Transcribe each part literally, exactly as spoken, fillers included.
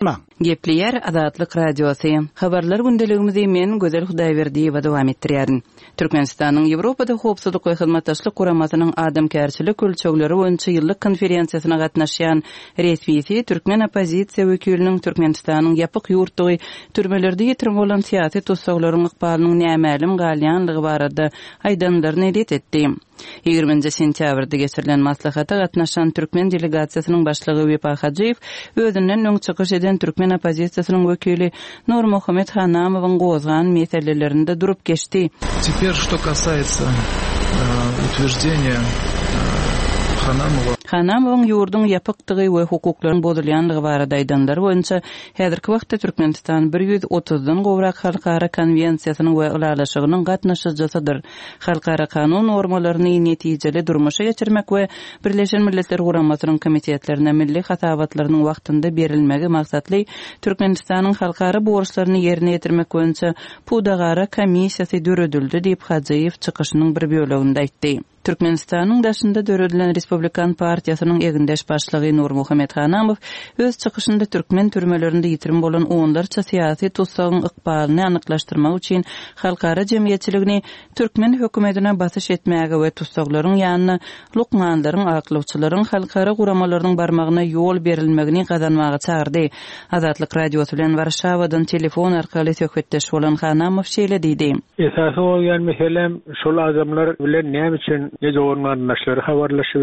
Gepleýär Azatlyk Radiosy. Habarlar gündeligimizi men Gözel Hudaýberdiýewa dowam etdirýärin. Türkmenistanyň Ýewropada Howpsuzlyk we Hyzmatdaşlyk Guramasynyň adamkärçilik ölçegleri boýunça ýyllyk konferensiýasyna gatnaşýan resmisi türkmen oppozisiýa wekiliniň Türkmenistanyň ýapyk ýurtdugy, türmelerde ýitirim bolan syýasy tussaglaryň ykbalynyň nämälim galýanlygy barada aýdanlaryny ret etdi. Ýigriminji sentýabrda geçirilen maslahata gatnaşan türkmen delegasiýasynyň başlygy Wepa Hajyýew özünden öň çykyş eden türkmen oppozisiýasynyň wekili Nurmuhammet Hanamowyň gozgan meselelerinde durup geçdi. Теперь, что касается утверждения Ханамова. Hanamowyň ýurduň ýapykdygy we hukuklaryň bozulýanlygy barada aýdanlary boýunça häzirki wagtda Türkmenistan bir ýüz otuzdan gowrak halkara konwensiýasynyň we ylalaşygynyň gatnaşyjysydyr. Halkara kanun normalaryny netijeli durmuşa geçirmek we Birleşen Milletler Guramasynyň komitetlerine milli hasabatlarynyň wagtynda berilmegi maksatly Türkmenistanyň halkara borçlaryny ýerine ýetirmek boýunça pudagara komissiýasy döredildi diýip Hajyýew çykyşynyň bir böleginde aýtdy. Türkmenistanyň daşynda döredilen Respublikan partiýasynyň egindeş başlygy Nurmuhammet Hanamow öz çykyşynda türkmen türmelerinde ýitirim bolan onlarça syýasy tussagyň ykbalyny anyklaşdyrmak üçin halkara jemgyýetçiligini türkmen hökümetine basyş etmäge we tussaglaryň ýanyna lukmanlaryň, aklawçylaryň, halkara guramalarynyň barmagyna ýol berilmegini gazanmaga çagyrdy. Azatlyk Radiosy bilen Warşawadan telefon arkaly söhbetdeş bolan Hanamow şeýle diýdi. Esasy bolýan meselem şol adamlar bilen näme üçin ne dogan-garyndaşlary habarlaşyp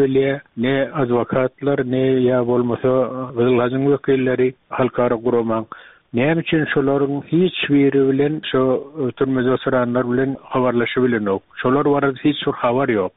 ne adwokatlar, ne ýa bolmasa Gyzylhajyň wekilleri halkara guramaň. Näme üçin şolaryň hiç biri bilen şo türmede oturanlar bilen habarlaşyp bilenok. Şolar barada hiç bir habar ýok.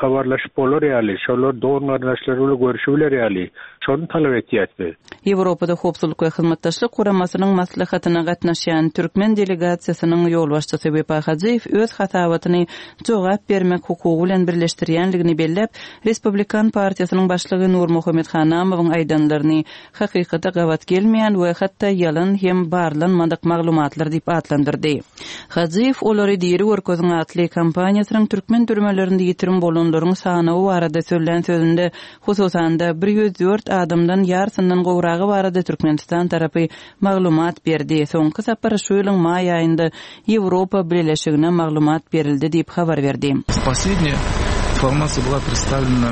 Habarlaşyp bolar ýaly, şolar dogan-garyndaşlary bilen görüşüp biler ýaly, şony talap etýärdi. Ýewropada Howpsuzlyk we Hyzmatdaşlyk Guramasynyň maslahatyna gatnaşýan türkmen delegasiýasynyň ýolbaşçysy Wepa Hajyýew öz hasabatyny jogap bermek hukugy bilen birleşdirýänligini belläp, Respublikan partiýasynyň başlygy Nurmuhammet Hanamowyň aýdanlaryny hakykata gabat gelmeýän we hatda ýalan hem barlanmadyk maglumatlar diýip atlandyrdy. Hajyýew olary diri görkeziň atly kampaniýasynyň türkmen türmelerinde ýitirim bolanlaryň sanawy barada sözlän sözünde hususan-da bir ýüz dört adamdan ýarysyndan gowragy barada Türkmenistan tarapy maglumat berdi. Soňky sapar şu ýylyň maý aýynda Ýewropa Bileleşigine maglumat berildi diýip habar berdi. Последняя информация была представлена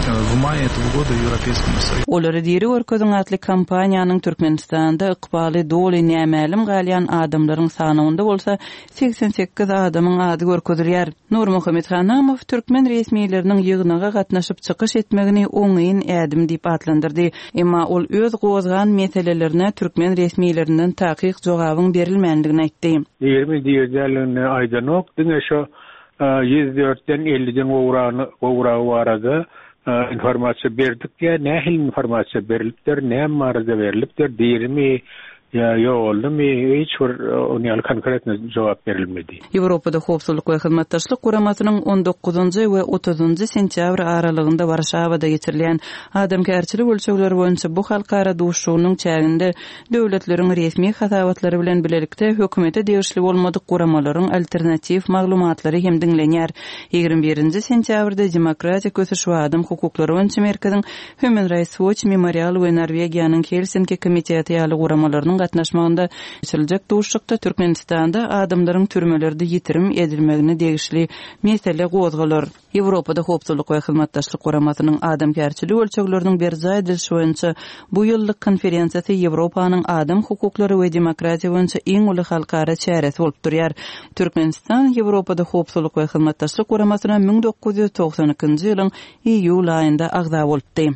в мае этого года Европейскому Союзу. Olary diri görkeziň atly kampaniýanyň Türkmenistanda ykbaly doly nämälim galýan adamlaryň sanawynda bolsa seksen sekiz adamyň ady görkezilýär. Nurmuhammet Hanamow türkmen resmileriniň ýygnaga gatnaşyp çykyş etmegini oňyn ädim diýip atlandyrdy. Emma ol öz gozgan meselelerine türkmen resmilerinden takyk jogabyň berilmändigini aýtdy. Ýigrimi diýerligini aýdanok, diňe şo ýüz dörtden elliden gowragyny gowragy barada informasiýa berdik ýa nähili informasiýa berilipdir, näme barada berilipdir, dirimi ýa ýogaldymy, hiç bir ony ýaly konkretny jogap berilmedi. Ýewropada Howpsuzlyk we Hyzmatdaşlyk Guramasynyň on dokuzynjy we otuzynjy sentýabr aralygynda Warşawada geçirilýän adamkärçilik ölçegleri boýunça bu halkara duşuşygynyň çäginde döwletleriň resmi hasabatlary bilen bilelikde hökümete degişli bolmadyk guramalaryň alternatiw maglumatlary hem diňlenýär. Ýigrimi birinji sentýabrda Demokratik ösüş we adam hukuklary boýunça merkeziň Human Rights Watch Memorial we Norwegiýanyň Helsinki komiteti ýaly guramalarynyň gatnaşmagynda geçiriljek duşuşykda Türkmenistanda adamlaryň türmelerde ýitirim edilmegine degişli mesele gozgalar. Ýewropada Howpsuzlyk we Hyzmatdaşlyk Guramasynyň adamkärçilik ölçegleriniň berjaý edilişi boýunça bu ýyllyk konferensiýasy Ýewropanyň adam hukuklary we demokratiýa boýunça iň uly halkara çäresi bolup durýar. Türkmenistan Ýewropada Howpsuzlyk we Hyzmatdaşlyk Guramasyna müň dokuz ýüz togsan ikinji ýylyň iýul aýynda agza bolupdy.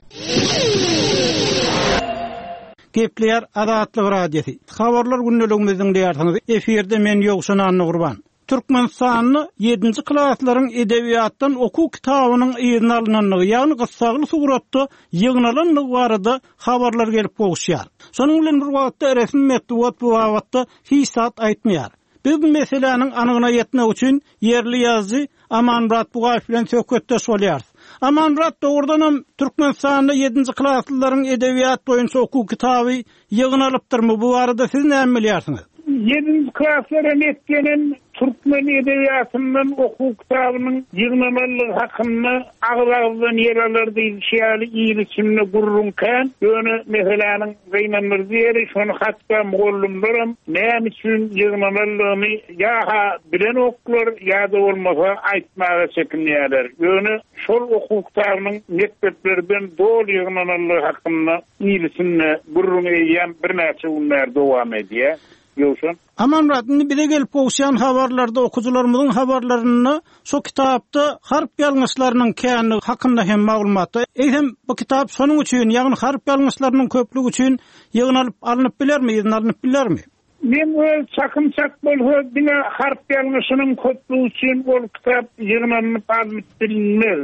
Gepleýär Azatlyk Radiosy. Habarlar gündeligimizi diňleýärsiňiz. Efirde men Ýowşan Annagurban. Türkmenistanda ýedinji klaslaryň edebiýatdan okuw kitabynyň yzyna alynandygy, ýagny gyssagly suratda ýygnalandygy barada habarlar gelip gowuşýar. Şonuň bilen bir wagtda resmi metbugat bu babatda hiç zat aýtmaýar. Biz bu meseläniň anygyna ýetmek üçin ýerli ýazyjy Amanmyrat Bugaýew bilen söhbetdeş bolýarys. Amanmyrat, dogrudanam Türkmenistanda ýedinji klaslaryň edebiýat boýunça okuw kitaby ýygnalypdyrmy? Bu barada siz näme bilýärsiňiz? Ýedinji klaslara netlenen Türkmen edebiýatyndan okuw kitabynyň ýygnananlygy hakynda agyz-agyzdan ýel alar diýlişi ýaly il içinde gürrüň kän. Ýöne meseläniň gynandyryjy ýeri şony hatda mugallymlaram näme üçin ýygnananlygyny ýa-ha bilenoklar ýa-da bolmasa aýtmaga çekinýärler. Ýöne şol okuw kitabynyň mekdeplerden doly ýygnananlygy hakynda il içinde gürrüň eýýäm birnäçe gün bäri dowam edýär. Ýowşan. Amanmyrat, indi bize gelip gowuşýan habarlarda, okyjylarymyzyň habarlarynda şu kitapda harp ýalňyşlarynyň känligi hakynda hem maglumatda. Eýsem, bu kitap şonuň üçin, ýagny harp ýalňyşlarynyň köplügi üçin ýygnalyp alnyp bilermi, ýygnanyp alnyp bilermi? Men öz çakym çak bolsa diňe harp ýalňyşynyň köplügi üçin ol kitap ýygnanyp alnyp bilinmez.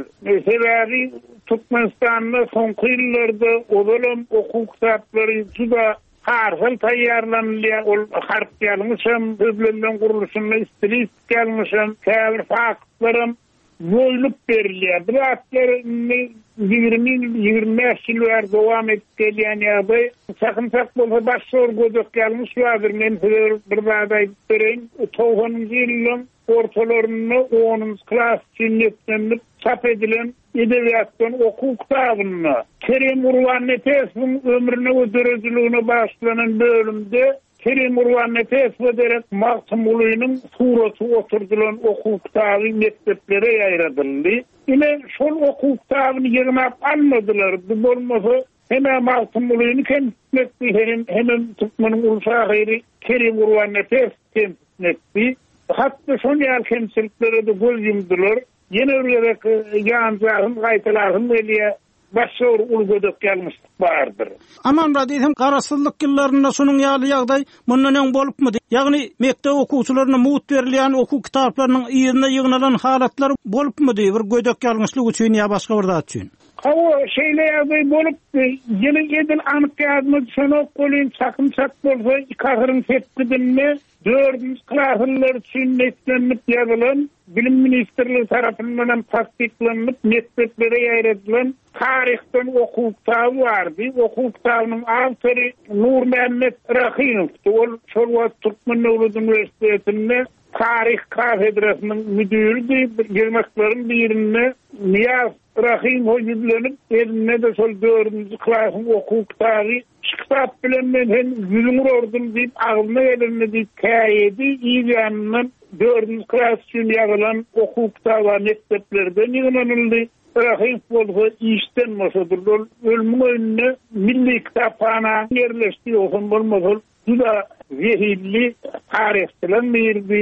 Sebäbi Türkmenistanda soňky ýyllarda ozalam okuw kitaplary juda harsal taýýarlanylýar. Ol harp ýalňyşam, sözlemleň gurluşynda stilistik ýalňyşam, käbir faktlaram ýoýlup berilýär. Bu zatlar indi ýigrimi ýyl, ýigrimi bäş ýyl bäri dowam edip gelýän ýagdaý. Çakym çak bolsa başga bir gödek ýalňyş bardyr. Men size bir zat aýdyp bereýin. Togsanynjy ýylyň ortalarynda onunjy klas üçin niýetlenip çap edilen edebiýatdan okuw kitabynda Kerim Gurbannepesowyň ömrüne we döredijiligine bagyşlanan bölümde Kerim Gurbannepesowa derek Magtymgulynyň suraty oturdylan okuw kitaby mekdeplere ýaýradyldy. Ine şol okuw kitabyny ýygnap almadylar. Bu bolmasa hem Magtymgulyny kemsitmekdi, hem hem Türkmeniň uly şahyry Kerim Gurbannepesow kemsitmekdi. Hatda şol ýaly kemçiliklere de göz ýumdular. Ýene bir gezek ýanjagym gaýtalasym gelýär. Başga bir uly gödek ýalňyşlyk bardyr. Amanmyrat, diýsem, garaşsyzlyk ýyllarynda şunuň ýaly ýagdaý mundan öň bolupmydy? Ýagny mekdep okuwçylaryna mugt berilýän okuw kitaplarynyň ýerine ýygnalan halatlar bolupmydy bir gödek ýalňyşlyk üçin ýa başga bir zat üçin? Hawa, şeýle ýagdaý bolupdy. Ýyly edil anyk ýadyma düşenok welin, çakym çak bolsa iki asyryň sepgidinde dördünji klaslar üçin niýetlenip ýazylan Bilim Ministrligi tarapyndan hem tasdiklanyp mekdeplere ýaýradylan taryhdan okuw kitaby bardy. Okuw kitabynyň awtory Nurmämmet Rahimowdy. Ol şol wagt Türkmen Döwlet Uniwersitetinde taryh kafedrasynyň müdüridi. Ýygnaklaryň birinde Niýaz Rahimow ýüzlenip, elinde-de şol dördünji klasyň okuw kitaby, şu kitap bilen men hem ýüzüňi urardym diýip, agzyna gelenini diýip käýedi. Yz ýanyndan dördünji klas üçin ýazylan okuw kitaby mekdeplerden ýygnanyldy. Rahimow bolsa işden boşadyldy. Ol ölümiň öýünde milli kitaphana ýerleşdi. Ýogsam bolmasa ol juda zehilli taryhçylaryň biridi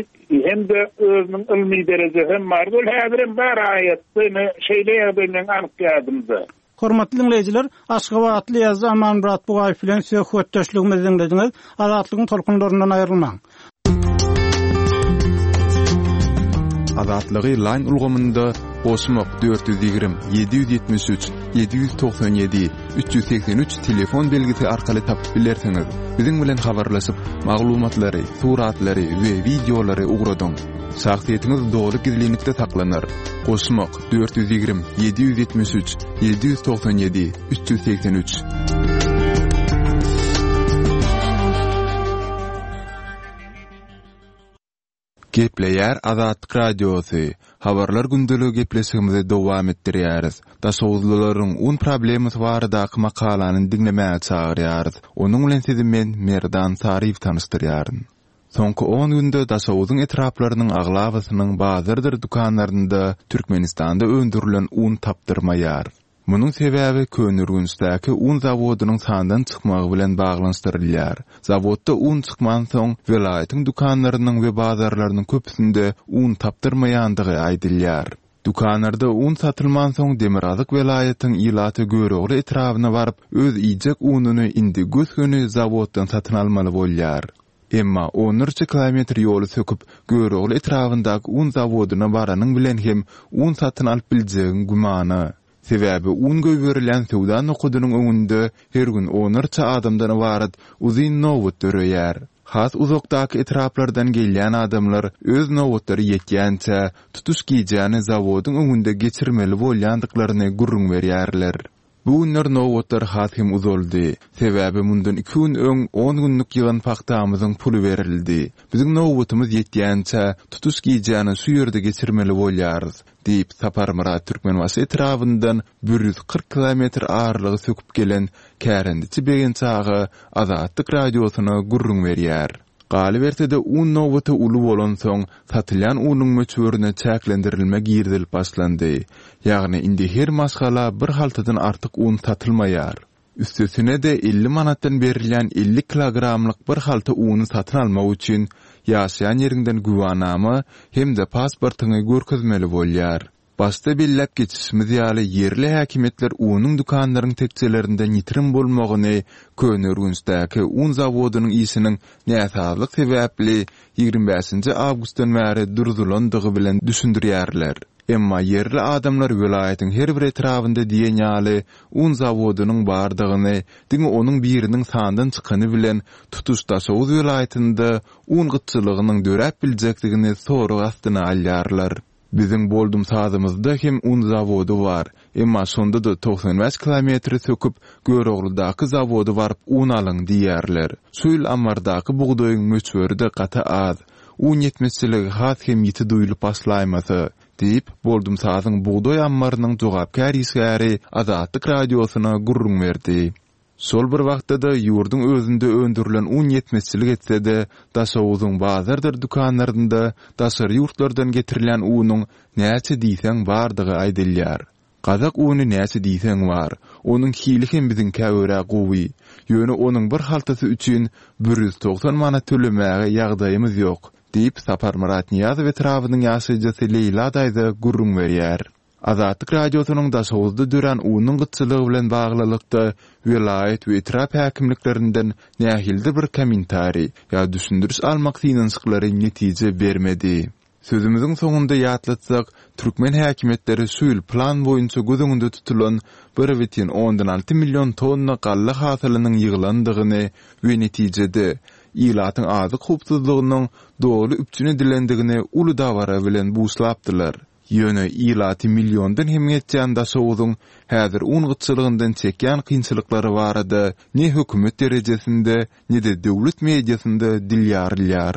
hem-de özüniň ylmy derejesi hem bardy. Ol häzirem bar aýatda, ine şeýle ýagdaý meň anyk ýadymda. Hormatly dinleýjiler, Aşgabatly ýazyjy Amanmyrat Bugaýew bilen söhbetdeşligimizi dinlediňiz. Azatlygyň tolkunlaryndan aýrylmaň. Azatlygy line ulgamynda goşmak dört ýüz ýigrimi, ýedi ýüz ýetmiş üç, ýedi ýüz togsan ýedi, üç ýüz segsen üç telefon belgisi arkaly tapyp bilersiňiz. Biziň bilen habarlaşyp, maglumatlary, suratlary we wideolary ugradyň. Şahsyýetiňiz doly gizlinlikde saklanar. Goşmak dört ýüz ýigrimi, ýedi ýüz ýetmiş üç, ýedi ýüz togsan ýedi, üç ýüz segsen üç. Gepleýär Azatlyk Radiosy. Habarlar gündeligi gepleşigimizi dowam etdirýäris. Daşoguzlylaryň un problemasy baradaky makalany diňlemäge çagyrýarys. Onuň bilen sizi men Merdan Saryýew tanyşdyrýaryn. Soňky on günde Daşoguzyň etraplarynyň aglabasynyň bazardyr dükanlarynda Türkmenistanda öndürilen un tapdyrmaýar. Munuň sebäbi Köneürgençdäki un zawodynyň sandan çykmagy bilen baglanyşdyrylýar. Zawodda un çykmansoň, welaýatyň dükanlarynyň we bazarlarynyň köpüsinde un tapdyrmaýandygy aýdylýar. Dükanlarda un satylmansoň, Demirgazyk welaýatyň ilaty Görogly etrabyna baryp, öz iýjek ununy indi gös-göni zawoddan satyn almaly bolýar. Emma onlarça kilometr ýoly söküp, Görogly etrabyndaky un zawodyna baranyň bilen hem un satyn alyp biljegiň gümana. Sebäbi un goýberilýän söwda nokadynyň öňünde her gün onlarça adamdan ybarat uzyn nobat döreýär. Has uzakdaky etraplardan gelýän adamlar öz nobatlary ýetýänçä tutuş gijäni zawodyň öňünde geçirmeli bolýandyklaryny gürrüň berýärler. Bu günler nobatlar has hem uzaldy. Sebäbi mundan iki gün öň on günlük ýygan pagtamyzyň puly berildi. Biziň nobatymyz ýetýänçä, tutuş gijäni şu ýerde geçirmeli bolýarys, diýip, Saparmyrat Türkmenbaşy etrabyndan bir ýüz kyrk kilometr aralygy söküp gelen kärendeçi Begenç aga Azatlyk Radiosyna gürrüň berýär. Galyberse-de, un nobaty uly bolansoň, satylýan unuň möçberine çäklendirilme girizilip başlandy. Ýagny indi her maşgala bir haltadan artyk un satylmaýar. Üstesine-de elli manatdan berilýän elli kilogramlyk bir halta uny satyn almak üçin ýaşaýan ýeriňden güwanama hem-de pasportyňy görkezmeli bolýar. Başda belläp geçişimiz ýaly, ýerli häkimiýetler unuň dükanlaryň tekjelerinden ýitirim bolmagyny Köneürgençdäki un zawodynyň işiniň näsazlyk sebäpli ýigrimi bäşinji awgustdan bäri durzulandygy bilen düşündirýärler. Emma ýerli adamlar welaýatyň her bir etrabynda diýen ýaly un zawodynyň bardygyny, diňe onuň biriniň sandan çykany bilen tutuş Daşoguz welaýatynda un gytçylygynyň döräp biljekdigini sorag astyna alýarlar. Biziň Boldumsazymyzda hem un zawody bar, emma şonda-da togsan bäş kilometri söküp, Görogludaky zawoda baryp un alyň diýýärler. Şu ýyl ammardaky bugdaýyň möçberi-de gaty az. Un ýetmezçiligi has hem ýiti duýlup başlaýmasa, diýip, Boldumsazyň bugdaý ammarynyň jogapkär işgäri Azatlyk Radiosyna gürrüň berdi. Şol bir wagtda-da, ýurduň özünde öndürilen un ýetmezçilik etse-de, Daşoguzyň bazardyr dükanlarynda daşary ýurtlardan getirilýän unuň näçe diýseň bardygy aýdylýar. Gazak uny näçe diýseň bar. Onuň hili hem biziňkä görä gowy. Ýöne onuň bir haltasy üçin bir ýüz togsan manat tölemäge ýagdaýymyz ýok, diýip, Saparmyrat Nyýazow etrabynyň ýaşaýjysy Leýla daýza gürrüň berýär. Azatlyk Radiosynyň Daşoguzda dörän unuň gytçylygy bilen baglylykda welaýat we etrap häkimliklerinden nähilidir bir kommentariý ýa düşündiriş almak synanyşyklary netije bermedi. Sözümiziň soňunda ýatlatsak, türkmen häkimiýetleri şu ýyl plan boýunça göz öňünde tutulan bir bütin ondan alty million tonna galla hasylynyň ýygylandygyny we netijede, ilatyň azyk howpsuzlygynyň doly üpjün edilendigini uly dabara bilen buşlapdylar. Ýöne ilaty milliondan hem geçýän Daşoguzyň häzir un gytçylygyndan çekýän kynçylyklary barada ne hökümet derejesinde, ne-de döwlet mediasynda dil ýarylýar.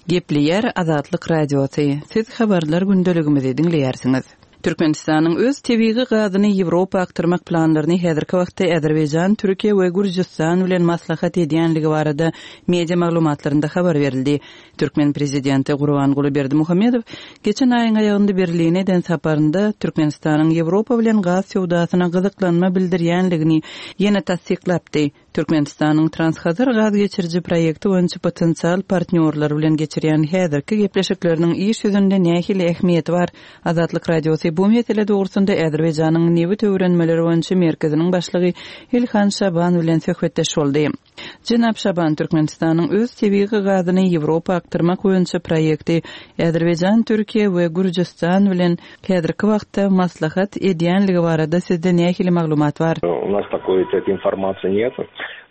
Gepleýär Azatlyk Radiosy. Siz habarlar gündeligimizi diňleýärsiňiz. Türkmenistanyň öz tebigy gazyny Ýewropa akdyrmak planlaryny häzirki wagtda Azerbaýjan, Türkiýe we Gürjüstan bilen maslahat edýänligi barada media maglumatlarynda habar berildi. Türkmen prezidenti Gurbanguly Berdimuhamedow geçen aýyň aýagynda Berline eden saparynda Türkmenistanyň Ýewropa bilen gaz söwdasyna gyzyklanma bildirýänligini ýene tassyklapdy. Türkmenistanyň Transhazar gaz geçiriji proýekti boýunça potensial partnýorlar bilen geçirýän häzirki gepleşikleriniň iş ýüzünde nähili ähmiýeti bar? Azatlyk Radiosy bu mesele dogrusynda Azerbaýjanyň nebit öwrenmeleri boýunça merkeziniň başlygy Ilhan Şaban bilen söhbetdeş boldy. Jenap Şaban, Türkmenistanyň öz tebigy gazyny Ýewropa akdyrmak boýunça proýekti Azerbaýjan, Türkiýe we Gürjüstan bilen häzirki wagtda maslahat edýänligi barada sizde nähili maglumat bar? U nas takoý informasiýa нет.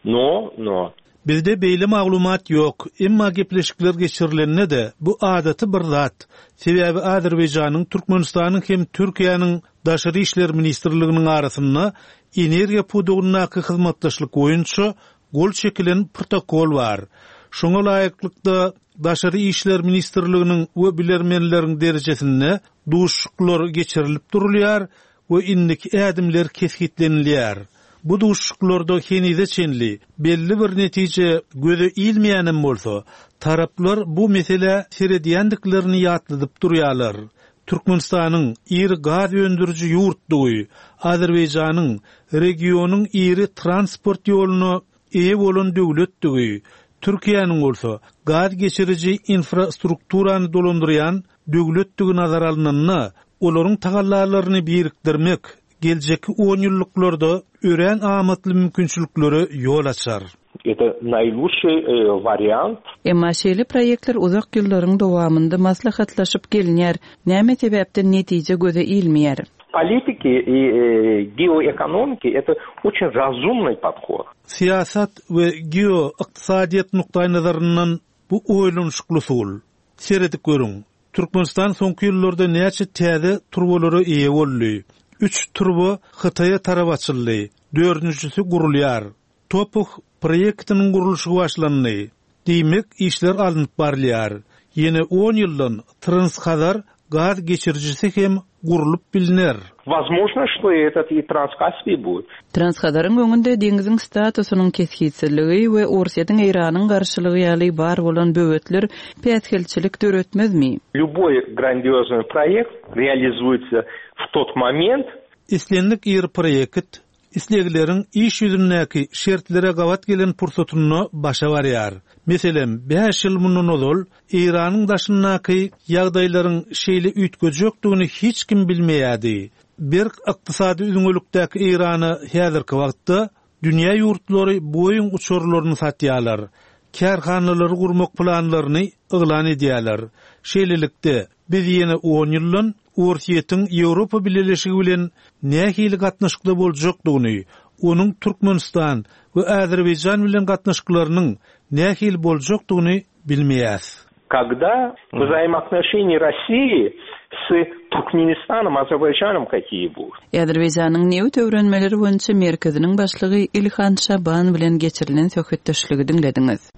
No, no. Bizde beýle maglumat ýok, emma gepleşikler geçirilende-de bu adaty bir zat. Sebäbi Azerbaýjanyň, Türkmenistanyň hem Türkiýäniň Daşary işler ministrliginiň arasynda energiýa pudagyndaky hyzmatdaşlyk boýunça gol çekilen protokol bar. Şoňa laýyklykda Daşary işler ministrliginiň we bilermenleriň derejesinde duşuşyklar geçirilip durulýar we indiki ädimler kesgitlenilýär. Bu duşuşyklarda henize çenli belli bir netije göze ilmeýänem bolsa, taraplar bu meselä seredýändiklerini ýatladyp durýarlar. Türkmenistanyň iri gaz öndüriji ýurtdugy, Azerbaýjanyň regionyň iri transport ýoluna eýe bolan döwletdigi, Türkiýäniň bolsa gaz geçiriji infrastrukturany dolandyrýan döwletdigi nazara alnanda, olaryň tagallalaryny birikdirmek geljekki on ýyllyklarda örän amatly mümkinçiliklere ýol açar. Это наилучший, э, вариант. Emma şeýle proýektler uzak ýyllaryň dowamynda maslahatlaşyp gelinýär. Näme sebäpden netije göze ilmeýär? Политики и, э, геоэкономики это очень разумный подход. Syýasat we geoykdysadyýet nukdaýnazaryndan bu oýlanyşykly usul. Seredip görüň. Türkmenistan soňky ýyllarda näçe täze turbalara eýe boldy. Üç turba Hytaýa tarap açyldy. Dördünjisi gurulýar. Topuh proýektiniň gurluşygy başlandy. Diýmek, işler alnyp barylýar. Ýene on ýyldan Transhazar gaz geçirijisi hem gurlup bilner. Возможно, что этот и Транскаспий будет. Transhazaryň öňünde deňziň statusynyň kesgitsizligi we Orsýetiň Eýranyň garşylygy ýaly bar bolan böwetler päsgelçilik döretmezmi? Любой грандиозный проект реализуется в тот момент, Islendik iri proýekt islegleriň iş ýüzündäki şertlere gabat gelen pursatynda başa barýar. Meselem, bäş ýyl mundan ozal Eýranyň daşyndaky ýagdaýlaryň şeýle üýtgejekdigini hiç kim bilmeýärdi. Berk ykdysady üzňelikdäki Eýrana häzirki wagtda dünýä ýurtlary Boeing uçarlaryny satýarlar. Kärhanalary gurmak planlaryny yglan edýärler. Şeýlelikde, biz ýene on ýyldan Orsýetiň Ýewropa Bileleşigi bilen nähili gatnaşykda boljakdygyny, onuň Türkmenistan we Azerbaýjan bilen gatnaşyklarynyň nähili boljakdygyny bilmeýäs. Когда взаимоотношения России с Туркменистаном, Азербайджаном какие будут? Azerbaýjanyň nebit öwrenmeleri boýunça merkeziniň başlygy Ilhan Şaban bilen geçirilen söhbetdeşligi diňlediňiz.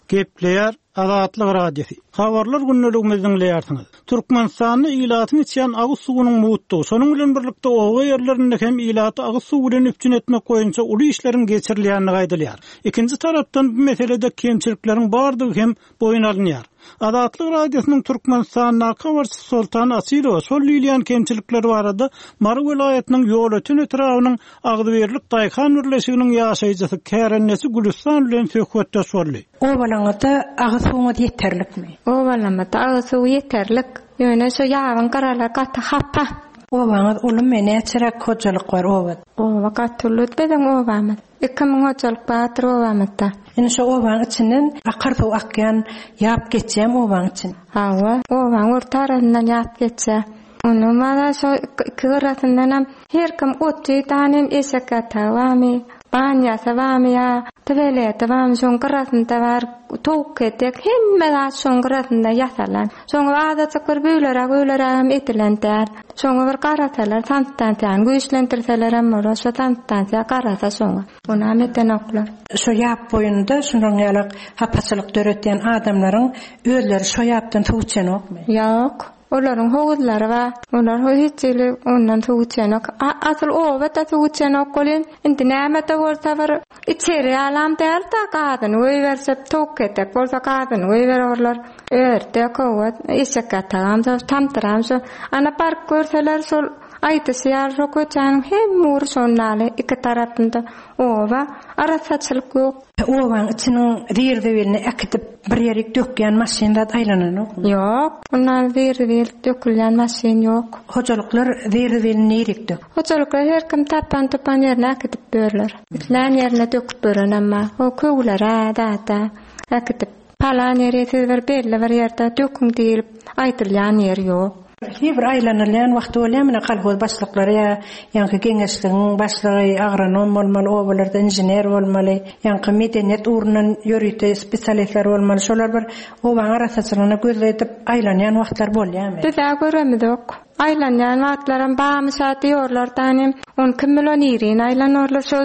Gepleýär Azatlyk Radiosy. Habarlar gündeligimizi diňleýärsiňiz. Türkmenistanda ilatyň içýän agyz suwunyň mugtdugy, şonuň bilen birlikde oba ýerlerinde hem ilaty agyz suwy bilen üpjün etmek boýunça uly işleriň geçirilýändigi aýdylýar. Ikinji tarapdan bu meselede kemçilikleriň bardygy hem boýun alynýar. Azatlyk Radiosynyň Türkmenistandaky habarçysy Soltan Asylowa şol diýilýän kemçilikler barada Mary welaýatynyň Ýolöten etrabynyň Agzybirlik Daýhan birleşiginiň ýaşaýjysy Kärendesi Gülüstan bilen söhbetdeş boldy. Obalaňyzda agyz suwuňyz ýeterlikmi? Obalamyzda agyz suwy ýeterlik. Ýöne şu ýabyň gyralary gaty hapa. Obaňyz ulumy, näçeräk hojalyk bar obada? Oba gaty uly biziň obamyz. Iki müň hojalyk bardyr obamyzda. Indi şu obaň içinden akar suw akýan, ýap geçýän obaň için. Hawa, obaň orta arasyndan ýap geçýär. Onuň bana şu iki gyrasyndan hem her kim oty danym eşek ýatagy barmy, banýasy barmy ýa tualeti barmy, şoň gyrasynda bar, towuk etek, hemme zat şoň gyrasynda ýasalan. Şoňa azajyk bir böleräk, böleräk hem edilen däl. Şoňa bir garasalar, sanstansiýany güýçlendirseler hem bolar, şo sanstansiýa garasa şoňa. Ona hem edenoklar. Şo ýap boýunda şunuň ýaly hapaçylyk döretýän adamlaryň özleri şo ýapdan suw içenokmy? Ýok. Olaryň howuzlary bar. Olar hiç ýeri ondan suw içenok. A-, asyl oba-da suw içenok bolýan. Indi näme-de bolsa bir içeri alam däl-de gazyny goýbersek, towuk etek bolsa gazyny goýbererler. Örtek, owa, eşek ýatagam şo, tamdyram şo. Ana park görseler şol aýdyşy ýaly şo köçäniň hem ury şondaly iki tarapynda oba arassaçylyk ýok. Obaň içiniň zir-zibilini äkitip bir ýere dökýän maşyn zat aýlananokmy? Ýok. Ondan zir-zibil dökülýän maşyn ýok. Hojalyklar zir-zibilini nirik dök? Hojalyklar her kim tapan tupan ýerine äkitip börler. Islän ýerine döküp bören amma o köwlere, zata äkitip palan ýere siz bir belli bir ýerde döküň diýilip aýdylýan ýer ýok. Her bir aýlanylýan wagty bolýar, mine kolhoz başlyklary ýa ýaňky geňeşligiň başlygy agronom bolmaly, obalarda inžener bolmaly, ýaňky medeniýet ugrundan ýörite spesialistler bolmaly. Şolar bir obaň arasaçylygyna göz edip aýlanýan wagtlar bolýarmy? Biz-ä göremiz ýok. Aýlanýan wagtlaram barmyş-a diýorlar danym. On iki million ýerin aýlanorlar, şo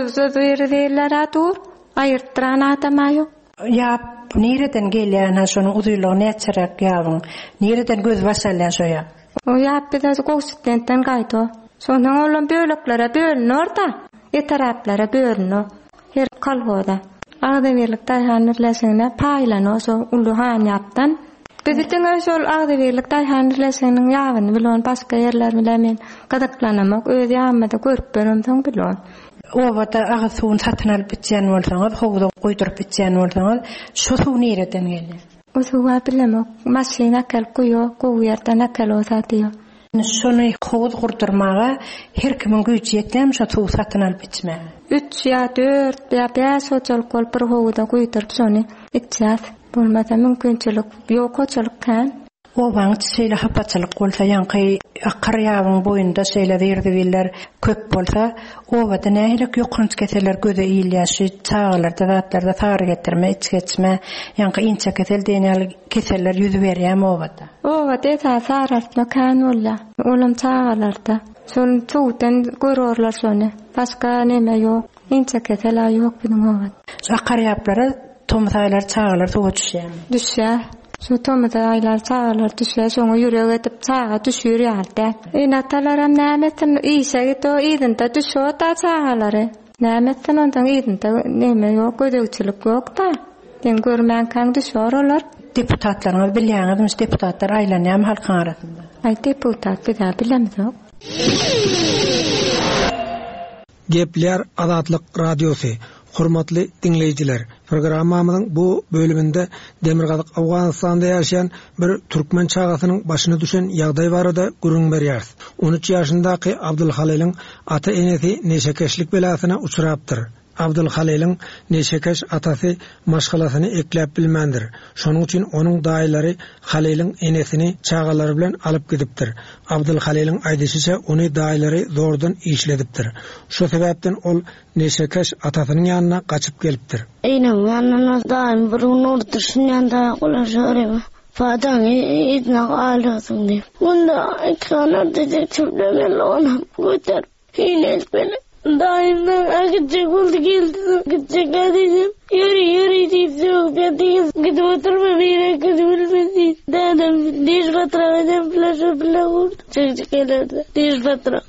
ýeri diýerler-ä dur. Aýyrtdyran adam-a ýok. Ýap nireden gelýän ha şonuň uzynlygy näçeräk ýabyň? Nireden göz baş alýan şo ýap? O ýap bize Gowşutbentden gaýdy. Şondan olam böleklere bölünür-da, etraplara bölünür. Her kolhoza. Agzybirlik Daýhan birleşigine paýlanyr şo uly han ýapdan. Biz diňe şol Agzybirlik Daýhan birleşiginiň ýabyny bilon, başga ýerler bilen men gyzyklanamak, öz ýabymda görüp beremsoň bilon. Obada agyz suwuny satyn alyp içýän bolsaňyz, howuza guýduryp içýän bolsaňyz, şo suw nireden gelýär? O suwa bilemok. Maşyn äkelip guýup, gowy ýerden äkel olsa diýýär. Şony howuz gurdurmaga her kimiň güýji ýetýärmi şo suwy satyn alyp içmäge? Üç ýa dört ýa bäş hojalyk bolup bir howuza guýduryp şony içýäs. Bolmasa mümkinçilik ýok hojalyk kän. Obaň içi şeýle hapaçylyk bolsa, ýaňky akar ýabyň boýunda şeýle zir-zibiller köp bolsa, obada nähili ýokanç keseller göze ilýär, şu çagalarda zatlarda sary getirme, iç geçme, ýaňky inçe kesel diýen ýaly keseller ýüz berýärmi obada? Obada esasy saraltma kän bolýar. Olam çagalarda. Şony suwdan görürler şony. Başga neme ýok. Inçe kesel ýok biziň obada. Şu akar ýaplara tomus aýlary çagalar suwa düşýärmi? Düşýär. Şu tomus aýlary çagalar düşýär, şoňa ýürek edip çaga düşür ýaly-da. Ene-atalaram näme etsin, işe git o yzynda düşüyor da çagalary. Näme etsin ondan yzynda neme ýok, gözegçilik ýok-da. Sen görmänkäň düşüyor olar. Deputatlaryňyz bilýäňizmi, deputatlar aýlanýarmy halkyň arasynda? Aý deputat biz-ä bilemizok. Gepleýär Azatlyk Radiosy. Hormatly diňleýjiler, programmamyzyň bu bölüminde Demirgazyk Owganystanda ýaşaýan bir türkmen çagasynyň başyna düşen ýagdaý barada gürrüň berýäris. On üç ýaşyndaky Abdulhalylyň ata-enesi neşekeşlik belasyna uçrapdyr. Abdulhalylyň neşekeş atasy maşgalasyny ekläp bilmändir. Şonuň üçin onuň daýylary Halylyň enesini çagalary bilen alyp gidipdir. Abdulhalylyň aýdyşyça ony daýylary zordan işledipdir. Şu sebäpden ol neşekeş atasynyň ýanyna gaçyp gelipdir. Eýnem ýanyna daýym bir gün oturşyn ýanynda golaşarym. Fadaň yzyna galýarsyň diýip. Munda iki sany detektiwler ony göter. Hine etmeli. Daýymdan gidjek boldy geldi. Gidjek diýdim. Ýöri ýöri diýip sögüp ýatyň. Gidip oturma bir ýere gidip bilmez diýip. Dädem diş batyrak edem flaşa bile vurdu. Çekjek gelerdi. Diş batyrak.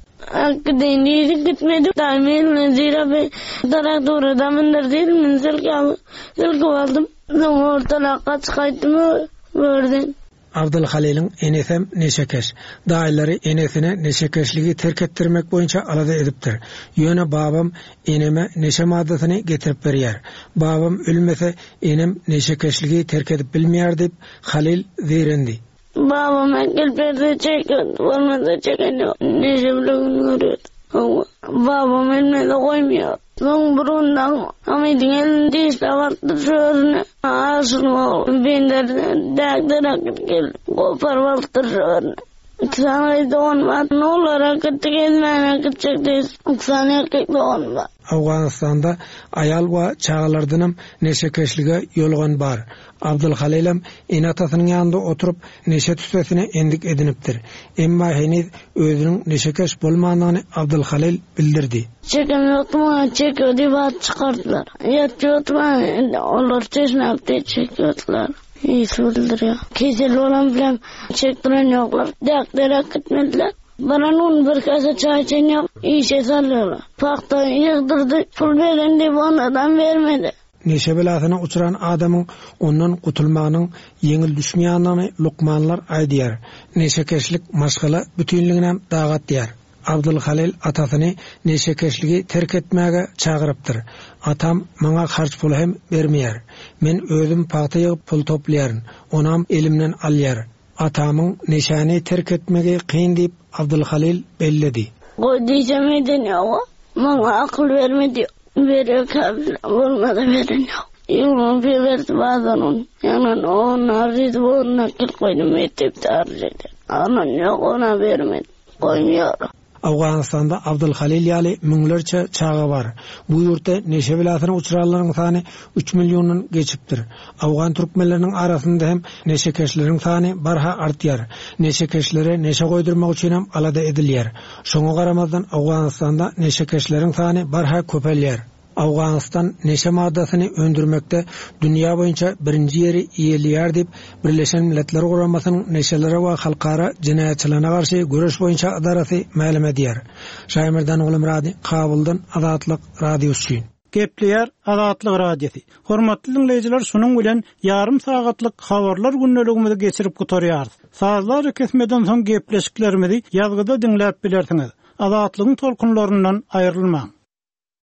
Gideyim diýip gitmedi. Daýym eline zira bir darak doğru mındır değil mi? Silki al, silki aldım. Soň ortalakka çykaýtdym gördüm. Abdulhalylyň enesem neşekeş. Daýylary enesine neşekeşligi terk etdirmek boýunça alada edipdir. Ýöne babam eneme neşe maddasyny getirip berýär. Babam ölmese enem neşekeşligi terk edip bilmeýär diýip Halil zeýrendi. Babam gel berdi çekiyordu. Olmasa çeken yok. Neşe bile gün görüyordu. Ama babam ölmese goýmuyor. Soň burundan Hamidin elini dişle baktı şöyle. Ağzını bindirdi. Däkden akıp geldi. Kopar baktı şöyle. İki sany dogan bar. Ne olar akıttı gezmän akıtacak değil. İki sany erkek dogan bar. Owganystanda aýal we çagalardanam neşekeşlige ýolgan bar. Abdulhalilem ene atasynyň ýanynda oturyp neşe tüssesine endik edinipdir. Emma heniz özüniň neşekeş bolmandygyny Abdulhalil bildirdi. Çeken ýokmy, çekiyor diýip at çykardylar. Ýatýardylar, olar çeşme yapdy, çekiyordular. İyisi bildiriyor. Kesel olan bilen çektiren ýoklar. Däkler akıtmadılar. Bana nun bir kase çay içen yok, işe sallıyorlar. Pakta yığdırdı, pul veren diye bana vermedi. Neşe belasyna uçran adamyň ondan gutulmagynyň ýeňil düşmeýändigini lukmanlar aýdýar. Neşekeşlik maşgala bütünligine dagat diýär. Abdulhalil atasyny neşekeşligi terk etmäge çagyrypdyr. Atam maňa harç puly hem bermeýär. Men özüm pagta ýygyp pul toplaýaryn. Onam elimden alýar. Atamyň neşäni terk etmegi kyn diýip Abdulhalil belledi. Goý diýsem eden ýok. Maňa akyl bermedi. Veriyor kabul olmadı veren yok. Yılın bir verdi bazen onu. Yani onu araydı, onu akıl koydum, etip de araydı. Anan yok, ona vermedi. Koymuyor. Owganystanda Abdulhalil ýaly müňlerçe çaga bar. Bu ýurtda neşe belasyna uçranlaryň sany üç milliondan geçipdir. Awgan türkmenleriniň arasynda hem neşekeşleriň sany barha artýar. Neşekeşlere neşe goýdurmak üçin hem alada edilýär. Şoňa garamazdan Owganystanda neşekeşleriň sany barha köpelýär. Owganystan neşe maddasyny öndürmekde dünýä boýunça birinji ýeri eýeleýär diýip Birleşen Milletler Guramasynyň neşelere we halkara jenaýatçylygyna garşy göreş boýunça ydarasy mälim edýär. Şaýmerdan Gulmurady, Kabuldan Azatlyk Radiosy üçin. Gepleýär Azatlyk Radiosy. Hormatly dinleýjiler, şunuň bilen ýarym sagatlyk habarlar gündeligimizi geçirip gutarýarys. Sazlar kesmeden soň gepleşiklerimizi ýazgyda diňläp bilersiňiz. Azatlygyň tolkunlaryndan aýrylmaň.